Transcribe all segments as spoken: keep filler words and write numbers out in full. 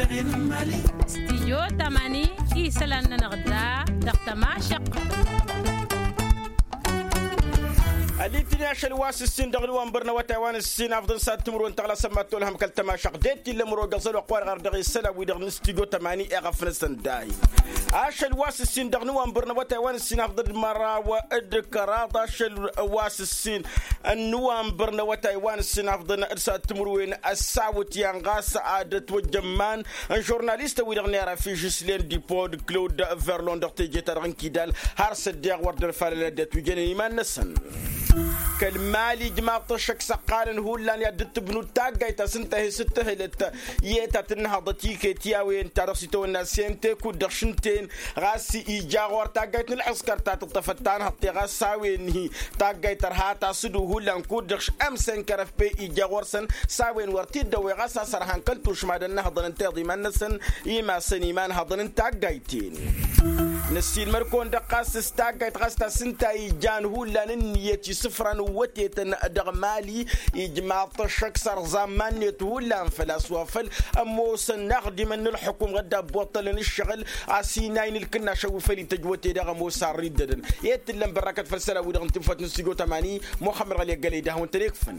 Stijyo tamani isălan-nănăɣ da dăɣ-tămašăq. Ălitǝni ašăl wa s-ǝssin dăɣ-nǝwănbăr n-awătay wa n-ǝssin afḍăn s-ad-timǝrwen tăɣlasăn ma t-olhăm kăl-tămašăq d-e t-illa ămăro găẓăl wa ăqqoarăɣ ar dăɣ-isălan-wi-dăɣ n-stijyo tamani iɣăf-năsăn dahi. Ašăl wa s-ǝssin dăɣ-nǝwănbăr n-awătay wa n-ǝssin afḍăn d-măraw d-kăraḍ ašăl wa s-ǝssin n-nǝwănbăr n-awătay wa n-ǝssin afḍăn d-s-ad-timǝrwen ăssawăt yan ɣas ad-ătwăjjămman n-žurnalistăn-wi-dăɣ n-era fižǝslen dipod claude verlon dăɣ-teje-ta-dăɣ n-kidal har s-ăddeɣ wăr dd-ălfalălăd i-ad-tujănen iman-năsăn. Kăl-mali ijmaḍ-t ăššăk s-ăqqalăn hullan i-ad-dd-tǝbnud taggayt ta s-ǝnta hi-s ǝttăhǝlăt i-e ta tǝnnăhăḍăt iket i-a-wen ta dăɣ-s itawănna s-ente kud-dăɣ šǝnten ɣas ija ɣur taggayt n-ǝlḥǝskăr ta tǝṭṭăfăt tanhăḍt-e ɣas s-a-wen-hi taggayt tărha ta s-ǝdu hullan kud-dăɣ š-ămsen kărăf pe ija ɣur-săn s-a-wen wăr t-dd-ăwweɣ ɣas a-s ărhan kăl-tušma d-ănnăhăḍăn n-teḍiman-năsăn. Imasăn imanhăḍăn n-taggayt-en. Năssiilmăd-kăwăn-dăɣ ɣas s-taggayt ɣas ta s-ǝnta ijan hullan ǝnniyăt isǝfra n-ǝwwătetăn dăɣ-mali ijmaḍ-t ăššăk s-ărẓa iman-net hullan făl-a-s wa făl ămoosăn inaxdimăn n-ǝlxǝkum ɣǝdda ăbboṭṭălăn ǝššăɣǝl a-s inay n-ǝlkǝnnašăn wi făl ităjj wăte-dăɣ ămoos arr-iddădăn. I-e t-ǝllăn bărrakăt făll-isălan-wi-dăɣ n-tinfăt n-stujo tămani muxămmăd ɣăli ăggălăy d-ad-hawăn-tăn-ikfăn.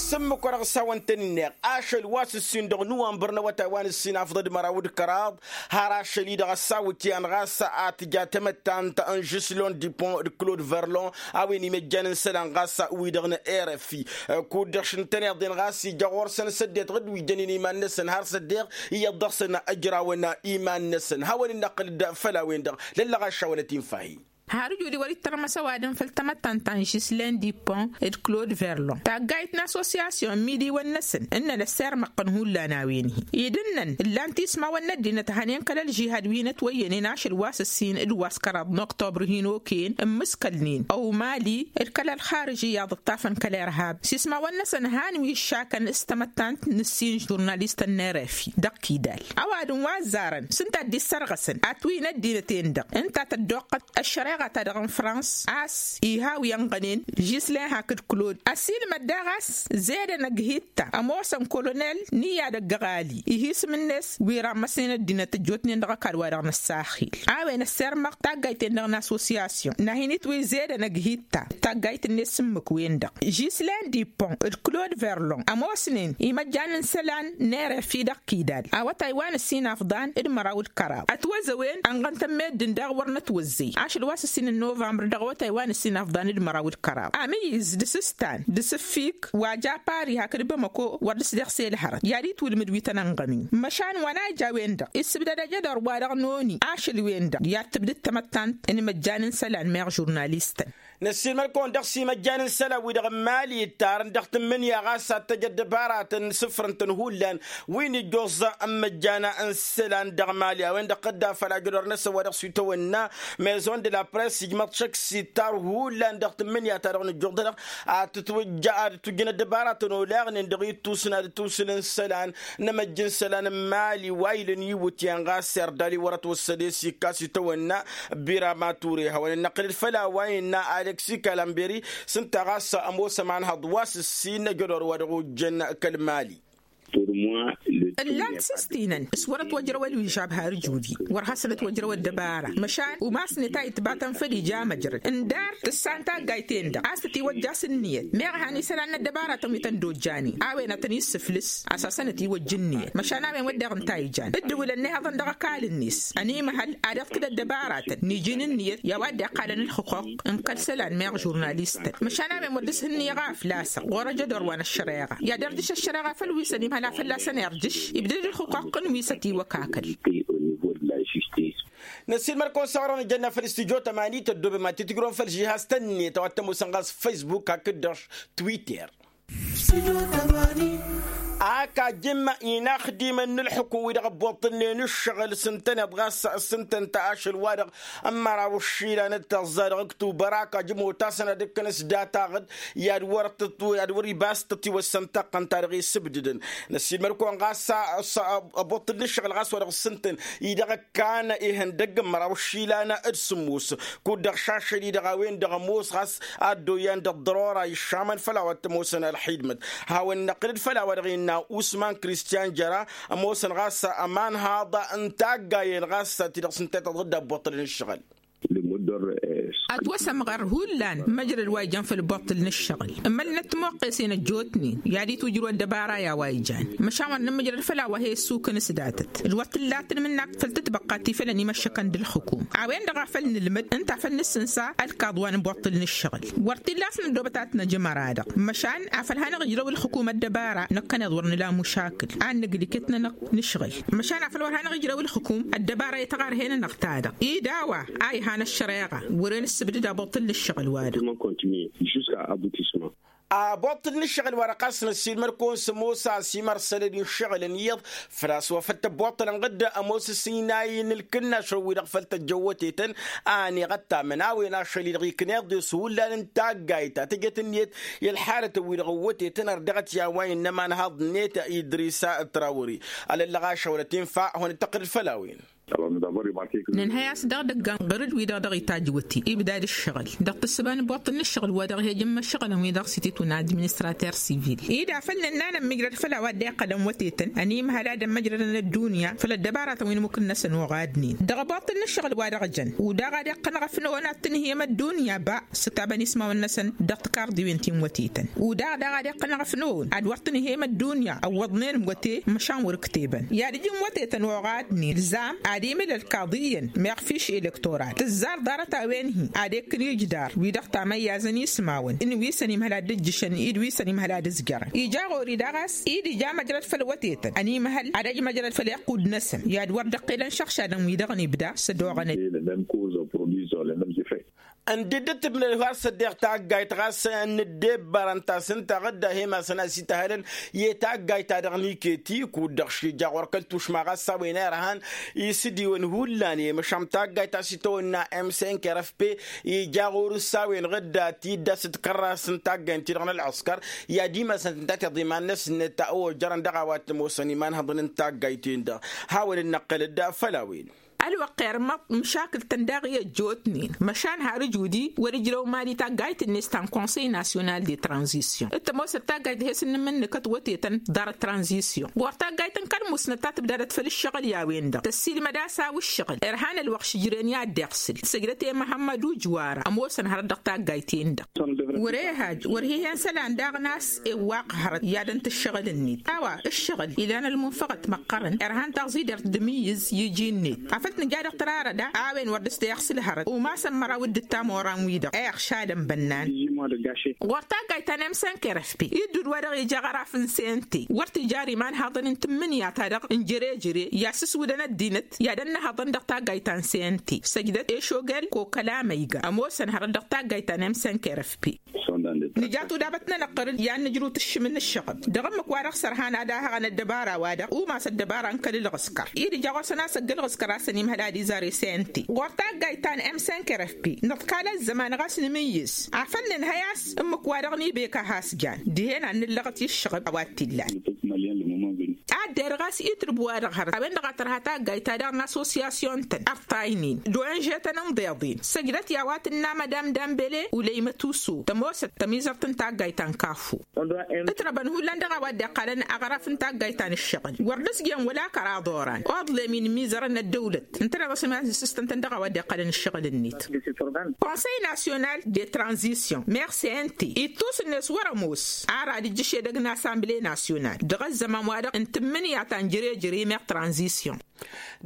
S-ǝmmǝk-wa-dăɣ s-hawăn-tăn-inneɣ ašăl wa s-ǝssin dăɣ-nǝwănbăr n-awătay wa n-ǝssin afḍăd măraw d-kăraḍ har ašăl-i-dăɣ ăssawǝtyan ɣas a tǝja tamăttant n-žǝslon dipon d-klod verlon a-wen imăjjan n-isălan ɣas wi-dăɣ n-rfi kud-dăɣ šǝntăneḍ-en ɣas ija ɣur-săn s-ăddinăt ɣǝd wi jănen iman-năsăn har s-ăddeɣ iyyăḍ dăɣ-săn ăjrawăn iman-năsăn hawăn-in-năqqǝl-dd făll-a-wen-dăɣ lăllăɣ ašawălăt infahi. Har ǝjud-i wăr-ittărmăs ăwadǝm făll-tamăttant ta n-žislen dipon d-klod verlon taggayt n-assosyasyon n-imidiwăn-năsăn ǝnnăn ăssirmăqqăn hullan a-wen-hi-i d-ǝnnăn ǝllan tismawăn n-ăddinăt hănen kăl-ălžihad wi n-ătwăyyănen ašăl wa s-ǝssin d-wa s-kăraḍ n-oktobr hin-okăyăn n-imǝskălnen ăwmali d-kăl-ălxarǝj iyyăḍ ǝṭṭafăn kăl-irhab s-ismawăn-năsăn han wi ǝššakăn s-tamăttant n-ǝssin žurnalistăn n-erefi dăɣ-kidal ăwadǝm wa ăzzarăn s-ǝnta a dd-issărɣăsăn atwǝy n-ăddinăt-en-dăɣ ǝnta a tăddoqqăt ăššăreɣa-ta-dăɣ n-frans a-s iha wi ănɣănen žislen hakd klod ăsiilmăd daɣ a-s zedăn ăgg-hitta ămoosăn kolonel n-iyyad ăgg-ăɣali ih' isǝm-net wi rammăsnen ăddinăt ăjjootnen dăɣ-ăkall-wa-dăɣ n-ăssaxil a-wen ăssirmăɣ taggayt-en-dăɣ n-assosyasyon n-ad-hin-itwǝy zedăn ăgg-hitta taggayt-net s-ǝmmǝk-wen-dăɣ žislen dipon d-klod verlon ămoosnen imăjjan n-isălan n-erefi dăɣ-kidal awătay wa n-ǝssin afḍan d-măraw d-kăraḍ ătwăzăwen ănɣăn-tăn meddǝn daɣ wăr nătwăzzăy ašăl wa s-ǝssin n-novămbăr dăɣ-awătay wa n-ǝssin afḍan d-măraw d-kăraḍ amǝyyǝz d-asǝstan d-asǝffik wa japari hakd bamăko wăr dăɣ-s deɣ s-elhărăt i-ad-itwǝlmǝd wi tăn-ănɣămǝy măšan wa n-a ija a-wen-dăɣ issǝbdăd ajădor-wa-dăɣ n-oni ašăl-wen-dăɣ i-ad-tǝbdǝd tamăttant n-imăjjan n-isălan meɣ žurnalistăn. Năssiilmăd-kăwăn dăɣ-s imăjjan n-isălan-wi-dăɣ n-mali ittarăn dăɣ-tǝmmǝnǝya ɣas ad-t-ăj ăddăbaratăn sǝfrǝn-tăn hullan wi n-ijjoẓẓa n-imăjjan n-isălan dăɣ-mali a-wen-dăɣ tădda făl ajădor-năsăn wa dăɣ-s itawănna mezon de la press ijmăḍ šăkk s-ittar hullan dăɣ-tǝmmǝnǝya-ta-dăɣ nǝjjuḍănăɣ ad-tǝtwǝjja ad-tǝtwǝjjǝn ăddăbaratăn olaɣnen dăɣ-ittusǝn ad-ǝtwǝsǝlăn isălan n-emăjj n-isălan n-mali wa ilăn iwǝtyan ɣas erdali wăr-ătwăssăd i-sikka s-itawănna birama ture hawăn-ănnăqqǝlăd făll-a-wa innă aleksi kalamberi s-ǝnta ɣas ămoos ămanhăḍ wa s-ǝssin ăjădor wa dăɣ-ojjăn kăl-mali. Ǝllan-t s-ǝstinăn s-wăr-ătwăjrăw ălwižab har ǝjudi wăr hasăn-ătwăjrăw ăddăbara măšan umasnet a itbatăn făll-ija măjrăd ǝndar tǝssan taggayt-en-dăɣ a-s tătiwăjja s-ǝnniyăt meɣ han isălan n-ăddăbaratăn wi tăn-dd-ojjanen a-wen ad-tăn-issǝflǝs a-s hasăn-ătiwăjj ǝnniyăt măšan a-wen wădden ǝnta a ijan ǝddǝwǝlăn nehăḍăn dăɣ-ăkall-net ănimăhăl ad-iɣtǝd ăddăbaratăn n-iji n-ǝnniyăt i-a-wa dd-iqqalăn ǝlxǝquq n-kăl-isălan meɣ žurnalistăn măšan a-wen wăr dăr-s ǝnniyăɣ a ăflasăɣ ɣur-ăjădor wa n-ăššăreɣa i-ad-irjǝš ăššăreɣa făll-wi s-ănimhăl a fălla-săn irjǝš ibdăd ǝlxǝquq n-wi s-ătiwăkakăl. Năssiilmăd-kăwăn s-aɣrăɣ n-ijănna făll-istudyo tămani tăddoobem ad-t-tǝjrǝwăm făll-žihaz-tăn-net a-wa t-ămoosăn ɣas facebook hakd-dăɣ twitter. Ak ajǝm inaxdimăn n-ǝlxǝkǝm-wi-dăɣ ăbboṭṭǝlnen ǝššăɣǝl s-ǝntăneḍ ɣas s-ǝntănta ašăl-wa-dăɣ n-măraw ǝššilan d-tăẓẓa dăɣ-ǝktubăr ak ajǝm otasăn ad-ǝkkănăs data-ɣǝd i-ad-wăr-tăt i-ad-wăr-ibas tătiwăssăn taqqăn-ta-dăɣ isǝbdǝdăn. Năssiilmăd-kăwăn ɣas ăbboṭṭǝl n-ǝššăɣǝl ɣas wa dăɣ-s ǝntăn-i-dăɣ ǝkkan ihăndăgg n-măraw ǝššilan d-sǝmmos kud-dăɣ šašăl-i-dăɣ a-wen-dăɣ ămoos ɣas ad-dd-oyyan dăɣ-ḍărora iššamăn făll-a-wa t-ămoosăn ălxidmăt. Hawăn-năqqǝl-dd făll-a-wa-dăɣ ta usman kristiyan jăra ămoosăn ɣas ămanhaḍ n-taggayen ɣas ti-dăɣ s-ǝnta i-tăḍɣǝd abbuṭṭăl n-ǝššăɣǝl. Ătwăsămɣăr hullan măjrăd wa ijăn făll-buṭṭǝl n-ǝššăɣǝl ǝmmălnăt timoqqesen ăjjootnen i-ad-itwǝjrǝw ăddăbara i-a-wa ijan. Măšan wăr nǝmmǝjrăd făll-a-wa he-ăssukǝn s-datăt d-wăr t-ǝllatăn mǝnnak făll-tǝtbăqqa ti fălăn imăššăkăn d-ǝlxǝkum a-wen-dăɣ a făl nǝlmǝd ǝnta a făl nǝssǝnsa ălkaḍ wa n-buṭṭǝl n-ǝššăɣǝl. Wăr t-illa a-s năddoobăt ad-t-năj ămăra-dăɣ măšan afăl hanăɣ-ǝjrăw ǝlxǝkum ăddăbara năkkăneḍ wăr nǝla mušakǝl ad-nǝgl iket-nănăɣ nǝšɣǝl. Măšan afăl wăr hanăɣ-ǝjrăw ǝlxǝkum ăddăbara i-taɣarhe-nănăɣ-ta-dăɣ ed a-wa a ihan ăššăreɣa wăren ǝssǝbdǝd abăṭṭǝl n-ǝššăɣǝl wa-dăɣ. Abăṭṭǝl n-ǝššăɣǝl wa-dăɣ ɣas năssiilmăd-kăwăn s-ămoos a-s imărsălăd n-iššăɣǝlăn iyyăḍ făl-a-s wa făl tăbboṭṭălăn ɣǝdda ămoos ăsinay n-ǝlkǝnnašăn-wi-dăɣ făl tăjjăn wătetăn. A ăniɣăt tamănawen ašăl-i-dăɣ ikneḍ-e s-hullan n-taggayt ta tǝjăt ǝnniyăt i-ălḥalătăn-wi-dăɣ n-wătetăn ărdăɣăt i-a-wa innă ămanhaḍ-net idrisa trawări. Alăllăɣ ašăwălăt infa hawăn-dd-tăqqǝlăd făll-a-wen. Nǝnhăy a-s dăɣ-idăggan ɣur-dd wi-dăɣ dăɣ-itajj wăte ibda d-ǝššăɣǝl dăɣ-tǝssǝba n-buṭṭǝl n-ǝššăɣǝl wa dăɣ-he-ijǝmmă ǝššăɣǝlăn wi dăɣ-s ititwǝn administrater sivil-i d-afăl nǝnna nămmigrăd făll-a-wa dd-iqqălăn wătetăn ănimhăl ad-ămmăjrădăn ăddunya făll-ăddăbaratăn wi n-imukǝnnăsăn oɣadnen dăɣ-abuṭṭǝl n-ǝššăɣǝl wa dăɣ-jăn. Udaɣ ad-iqqăn ɣăf-năwăn ad-tǝnhǝyăm ăddunya ba s-tabănismawăn-năsăn dăɣ-tikarḍiwen ti n-wătetăn. Udaɣ daɣ ad-iqqăn ɣăf-năwăn ad-wăr tǝnhǝyăm ăddunya ăwwăḍnen wăte măšan wăr-ǝktebăn i-ad-ǝjǝn wătetăn oɣadnen ǝlzam ad-imǝl ălkaḍ iyyăn meɣ fiš elektoral tǝzzar ḍarăt-a-wen-hi ad-ekk n-ijdar wi-dăɣ tamăyyazăn ismawăn n-wi s-ănimhăl ad-dd-ǝjjǝšăn i-dd wi s-ănimhăl ad-ǝzjărăn ija ɣur-i daɣ a-s i-dd ija măjrăd făll-wătetăn ănimhăl ad-ăj măjrăd făll-iqqud-năsăn i-ad-wăr dd-ăqqelăn šăɣšadăn wi-dăɣ n-ibda s-ădoɣăn. Ăndidd ǝttǝbnăd har s-ăddeɣ taggayt ɣas n-ǝddebbărăn ta s-ǝnta ɣǝdda hem-asăn a-s ităhălăn i-taggayt-ta-dăɣ n-iketi kud-dăɣ šija ɣur-kăl-tušma ɣas s-a-wen irhan isǝdiwăn hullan i-măšan taggayt ta s-itawănna m cinq r f p ija ɣur-s s-a-wen ɣǝdda tidda s-dd-kărras n-taggayt-ti-dăɣ n-ălɣǝskăr i-ad-imasăn tǝnta tiḍǝy iman-năsnet ojărăn dăɣ-a-wa t-ămoosăn imanhăḍăn n-taggayt-ten-dăɣ. Hawăn-dd-năqqălăd făll-a-wen. Ălwăqq irmăḍ măšakǝl-tăn daɣ i-ăjjootnen măšan har ǝjudi wăr-ǝjrăw mali taggayt-net ta n-konsăy nasyonal de tranzisyon d-tămoosăt taggayt he-s n-inǝmmǝnnǝkăt wătetăn ḍarăt tranzisyon ɣur-taggayt n-kăl-musnăt ta tǝbdadăt făll-ǝššăɣǝl i-a-wen-dăɣ tăssiilmăd a-s a-wa ǝššăɣǝl irhan ălwăqq šǝjren i-ad-dd-iɣsǝl săjdăt i-măhămmăd ujwara ămoosăn hărăt dăɣ-taggayt-en-dăɣ. Wăr-e hajj wăr hi-hen isălan daɣ n-a-s ewwaq hărăt i-ad-ǝnta ǝššăɣǝl-net a-wa ǝššăɣǝl ilan ălmunfăɣăt măqqărăn irhan taẓidert d-imǝyyǝz i-iji-net afăl tǝnja dăɣ-tărarăda a-wen wăr dăr-s teɣsǝl hărăt umasăn măraw d-ǝttam oran-wi-dăɣ iɣšadăn bănnan. Ɣur-taggayt ta n-emsănk rfp iddud wa dăɣ-ija ăɣraf n-cnt wăr t-ija ar imanhaḍăn n-tǝmmǝnǝya-ta-dăɣ n-jere-jere i-asǝswǝdăn ăddinăt i-ad-ănnăhăḍăn dăɣ-taggayt ta n-cnt săjdăt ešogel kokăla măyga ămoosăn hărăt dăɣ-taggayt ta n-emsănk rfp. Nǝja tudabăt-nănăɣ ɣur-dd i-ad-nǝjrǝw tǝššǝm n-ǝššăɣǝb dăɣ-ǝmmǝk-wa-dăɣ s-ărhan ad-ahăɣăn ăddăbara-wa-dăɣ umas ăddăbara n-kăl-ǝlɣǝskăr-i d-ija ɣur-săn a-s ăgg-ǝlɣǝskăr a-s ănimhăl ad-izar i-sente ɣur-taggayt ta n-emsănk rfp. Nǝḍkal ăzzăman ɣas nǝmǝyyǝs afăl nǝnhăy a-s ǝmmǝk-wa-dăɣ n-ibeka has-jan dihen ad-nǝllăɣăt i-ǝššăɣǝb a-wa t-illan. Ad-derɣ a-s itǝrb-wa-dăɣ hărăt a-wen-dăɣ a tărha taggayt-ta-dăɣ n-assosyasyon-tăn ărṭaynen d-onže-tăn n-iḍeḍen săjdăt i-a-wa tǝnna mădam dambele ulăymăt uso tămoosăt tămizărt n-taggayt ta n-kafu. Ǝtrăbăn hullan dăɣ-a-wa dd-iqqalăn aɣraf n-taggayt ta n-ǝššăɣǝl wăr dăɣ-s jen wăla kăraḍ oran oḍlem-in imizărăn n-ăddăwlăt ǝntăneḍ a-s iman-sǝstăn-tăn dăɣ-a-wa dd-iqqălăn ǝššăɣǝl-net. Konsăy nasyonal de tranzisyon meɣ cnt ittus-net wăr-ămoos ar ad-ǝjjǝš edăgg n-asamble nasyonal dăɣ-ăzzăman-wa-dăɣ n-tǝmmǝnǝya ta n-jere-jere meɣ tranzisyon.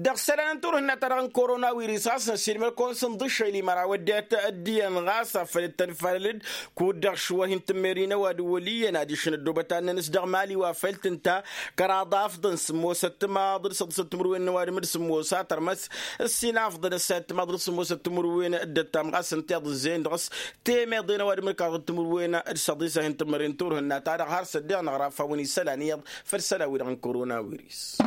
Dăɣ-isălan n-turhǝnna-ta-dăɣ n-korona wirǝs ɣas năssiilmăd-kăwăn s-inḍǝššăyli măraw ăddinăt ăddiyăn ɣas afăl dd-tănfalăl-dd kud-dăɣ šwăr hin-tǝmmer-i n-ăwadǝm wăl' iyyăn adiš n-ăddoobăt ad-nănǝs dăɣ-mali wa făl tǝnta kăraḍ afḍăn sǝmmosăt timaḍ d-săḍǝsăt timǝrwen n-ăwadǝm d-sǝmmos a tărmăs ǝssin afḍăn ǝssayăt timaḍ d-sǝmmosăt timǝrwen d-ăttam ɣas ǝnta iḍǝzzeyăn dăɣ-s temeḍe n-ăwadǝm d-kăraḍ timǝrwen d-săḍis a hin-tǝmmăren turhǝnna-ta-dăɣ har s-ăddiɣ năɣraf a-wen isălan iyyăḍ făll-isălan-wi-dăɣ n-korona wirǝs.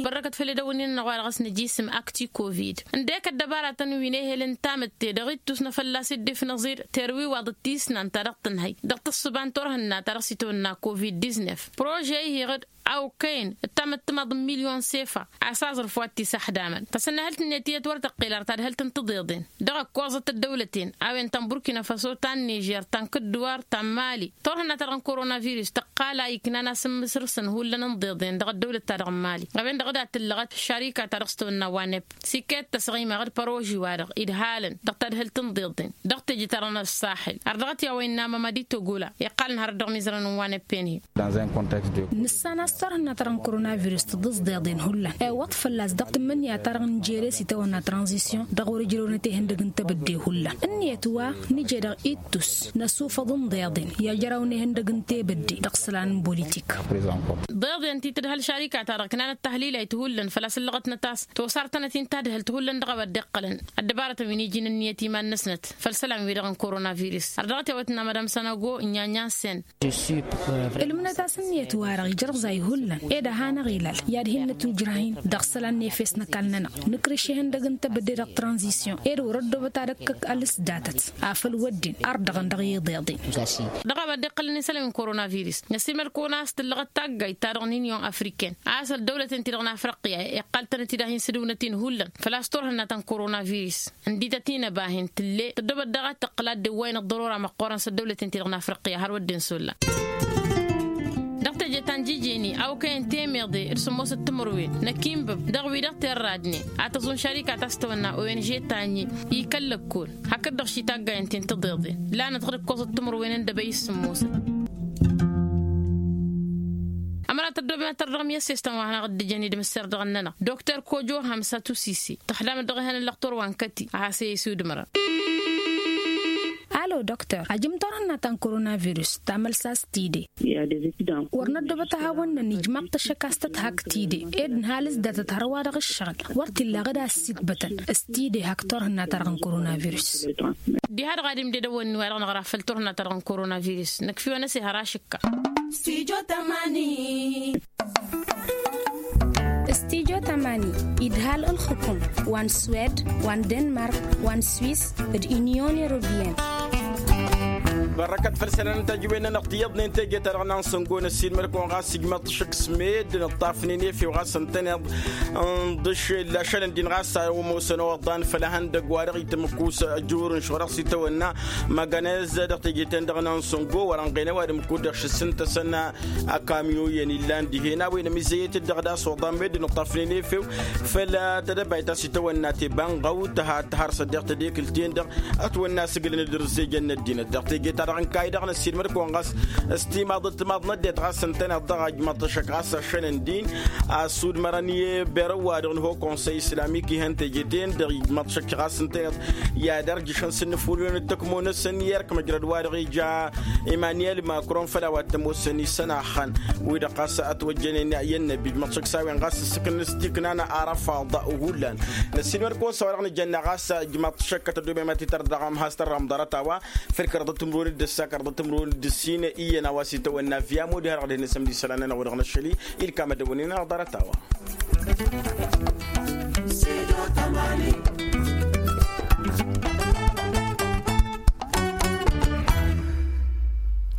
Bărrăkăt făll-edăwănnin-năɣ wa dăɣ-s nǝjisǝm akti covid ǝndek ăddăbaratăn wi n-ehel n-tamǝtte dăɣ-ittus n-afăllas iddif n-aẓir terwiwaḍ d-tisnan ta dăɣ-tǝnhăy dăɣ-tǝssǝba n-turhǝnna ta dăɣ-s itwănna covid-diznef. Prože ihiɣ-dd awkăyăn d-tamǝttǝmaḍ n-milyon sefa a-s aẓrǝf wa t-isaxdamăn tasănnăhălt-net iyyăt wăr tăqqel ar tadhǝlt n-tiḍeḍen dăɣ-ăkkoẓăt ăddăwlăten a-wen ta n-burkina faso ta n-nižer ta n-kǝddǝwar ta n-mali. Turhǝnna-ta-dăɣ n-koronavirus tăqqal a iknan asǝmmǝsrǝsăn hullan n-iḍeḍen dăɣ-ăddăwlăt-ta-dăɣ n-mali a-wen-dăɣ d-ad-tǝllăɣăt šarika ta dăɣ-s tăwănna wanep. Siket tăsɣima ɣǝd păroži-wa-dăɣ idhalăn dăɣ-tadhǝlt n-iḍeḍen dăɣ-teje-ta-dăɣ n-ăṣṣaxil ar dăɣ-t i-a-wa innă mămădi togula iqqalăn hărăt dăɣ-imizărăn n-wanep-en-hi. Nǝssan a-s turhǝnna-ta-dăɣ n-koronavirus tǝḍǝẓ deḍen hullan iwwăḍ fălla-s dăɣ-tǝmmǝnǝya-ta-dăɣ n-jere s-itawănna tranzisyon dăɣ-wăr-ǝjrăwnăt ehăndăg n-tebădde hullan ǝnniyăt wa nǝje dăɣ-ittus n-ăsufăḍ n-deḍen i-ajrăwăn ehăndăg n-tebădde dăɣ-isălan n-bolitik. Deḍen ti tǝdhăl šarika-ta-dăɣ ǝknanăt tahlilayt hullan făl-a-s ǝllăɣătnăt a-s tosartănăt-in tadhǝlt hullan dăɣ-a-wa dd-iqqălăn ăddăbarătăn wi n-iji n-ǝnniyăt iman-năsnăt făll-isălan-wi-dăɣ n-koronavirus. Ar dăɣ-t i-a-wa tǝnna madam sănăgo n-inya n-inya n-sen. Ǝlmǝnăt a-s ǝnniyăt-wa-dăɣ ijrăẓay hullan ed ad-hanăɣ-ilal i-ad-hin-nǝtwǝjrah-in dăɣ-isălan n-efes n-ăkall-nănăɣ nǝkrǝš ehăndăg n-tebădde dăɣ-tranzisyon ed wăr-ăddoobăt ad-ăkkăk alǝsdatăt afăl wădden ardăɣăn dăɣ-iḍeḍen. Dăɣ-a-wa dd-iqqălăn isălan n-koronavirus năssiilmăd-kăwăn a-s tǝllăɣăt taggayt-ta-dăɣ n-inyon afriken a-s ăldăwlăten-ti-dăɣ n-afriqya iqqal-tănăt-dd a hin-sǝdǝwnăt-in hullan făl-a-s turhǝnna ta n-koronavirus ǝndităt-in ăbahin tǝlle tăddoobăt daɣ ad-tăqqǝl ad-dd-ewwayăn ăḍḍărora măqqoorăn s-ăddăwlăten-ti-dăɣ n-afriqya har wădden s-olla. Dăɣ-teje ta n-jijeni a okăyăn temeḍe d-sǝmmosăt timǝrwen n-akǝnbǝb dăɣ-wi-dăɣ terradnen a tăẓun šarika ta s-tawănna onž tanyi ikăl lăkkol hakd-dăɣ šitaggayăn-ten tiḍeḍen lanăt ɣǝd ǝkkoẓăt timǝrwen n-dăbăy s-sǝmmosăt. Ămăra tăddoobem ad-tărdăɣăm i-ăssestăn wa hanăɣ-dd-ǝjăn idmǝsser dăɣ-ănnănăɣ doktor kojo hamsa tusisi tăxdamăt dăɣ-ehăn n-lăxtur wa n-kăti a has-e-isudǝmărăn. Alo doktor ajǝm turhǝnna ta n-koronavirus tamălsa s-tide. Wăr năddoobăt a hawăn-nănij mad-tăššăk a-s tăthak tide ed nǝha alǝzdatăt hărwa dăɣ-ǝššăɣǝl wăr t-illa ɣǝd a ăssiitbătăn s-tide hak turhǝnna-ta-dăɣ n-koronavirus. Diha-dăɣ ad-imded ăwănni-wa-dăɣ năɣra făll-turhǝnna-ta-dăɣ n-koronavirus năkf'-iwăn ăsehăr ašǝkka. Stujo tamani. Stujo tamani idhal ǝlxǝkum wa n-swed wa n-denmark wa n-swis d-inyon europeyăn. Bărrăkăt făll-isălan n-tajǝwen-nănăɣ tiyyăḍnen teje-ta-dăɣ n-ansăngo n-ăssiilmăd-kăwăn ɣas ijmăḍ šǝk s-meddǝn ǝṭṭafnen efew ɣas ǝntăneḍ n-dăšel ašăl ǝndin ɣas a ămoosăn oḍan făll-ehăndăgg wa dăɣ-itǝmmǝkkus ăjur n-šorăɣ s-itawănna măgănez dăɣ-teje-ten-dăɣ n-ansăngo wăr-ănɣen ăwadǝm kud-dăɣ šǝsǝntăsăn akamyo-iyyăn illan dihen a-wen ămizăyyăt-dd dăɣ-das oḍan meddǝn ǝṭṭafnen efew făll-tedăbayt ta s-itawănna tebanɣăwt tăha tăhăr s-ăddeɣ tedekǝlt-en-dăɣ ătwănna a-s ǝglăn-dd ǝrzejăn n-ăddinăt dăɣ-teje-ta-dăɣ n-kayy-dăɣ năssiilmăd-kăwăn ɣas s-timaḍăt timaḍ n-ăddinăt ɣas ǝntăneḍ dăɣ-a ijmăḍ-t ăššăk ɣas ăššăn ǝndin a ăssudmărăn i-berăw-wa-dăɣ n-ho konsăy islamik ihăn teje-ten dăɣ-ijmăḍ-t ăššăk ɣas ǝntăneḍ i-ad-ărjǝšăn s-ǝnnǝfulǝwen d-tăkmo-năsăn i-erk măjrăd-wa-dăɣ ija imaniyel makron făll-a-wa t-ămoosăn isănaxăn wi-dăɣ ɣas ătwăjjănen i-ănnăbi ijmăḍ-t ăššăk s-a-wen ɣas ǝssǝkǝlăn s-tiknan arafaḍ hullan. Năssiilmăd-kăwăn s-a-wa-dăɣ nǝjănna ɣas ijmăḍ-t ăššăk kăt-ăddoobem ad-t-tărdăɣăm has-tărrăm ḍarăt-a-wa făll-kăraḍăt timǝrwen d-ǝssa kăraḍăt timǝrwen d-ǝssin iyyăn a-wa s-itawănna viyamud har ɣad hin-nǝsǝmd isălan-nănăɣ wa dăɣ-năššăli ilkam ad-ăwwănen ănăɣ ḍarăt-a-wa.